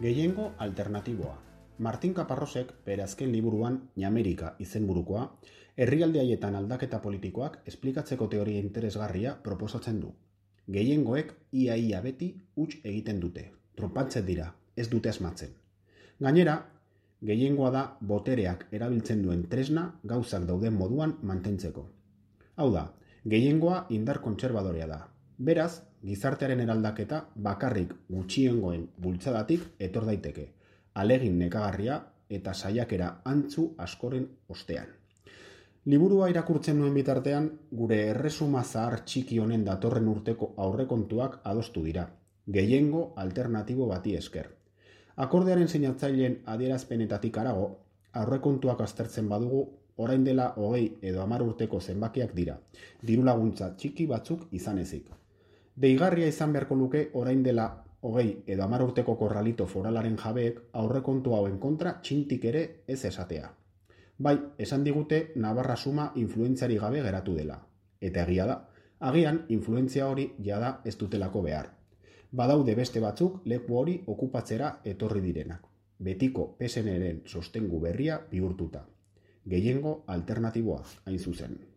Gehiengo alternatiboa. Martin Caparrosek bere azken liburuan Ñamerika izenburukoa, herrialde haietan aldaketa politikoak esplikatzeko teoria interesgarria proposatzen du. Gehiengoek ia beti huts egiten dute, tronpatzen dira, ez dute asmatzen. Gainera, gehiengoa da botereak erabiltzen duen tresna gauzak dauden moduan mantentzeko. Hau da, gehiengoa indar kontserbadorea da. Beraz, gizartearen eraldaketa bakarrik gutxiengoen bultzadatik etor daiteke, alegin nekagarria eta saiakera antzu askoren ostean. Liburua irakurtzen nuen bitartean, gure erresuma zahar txiki honen datorren urteko aurrekontuak adostu dira, gehiengo alternatibo bati esker. Akordearen sinatzaileen adierazpenetatik harago, aurrekontuak aztertzen badugu, orain dela 20 edo 10 urteko zenbakiak dira, dirulaguntza txiki batzuk izan ezik. Deigarria izan beharko luke orain dela 20 edo 10 urteko korralito foralaren jabeek aurrekontu hauen kontra txintik ere ez esatea. Bai, esan digute Navarra suma influentziari gabe geratu dela. Eta egia da, agian influentzia hori jada ez dutelako behar. Badaude beste batzuk leku hori okupatzera etorri direnak. Betiko PSN-ren sostengu berria bihurtuta. Gehiengo alternatiboa, hain zuzen.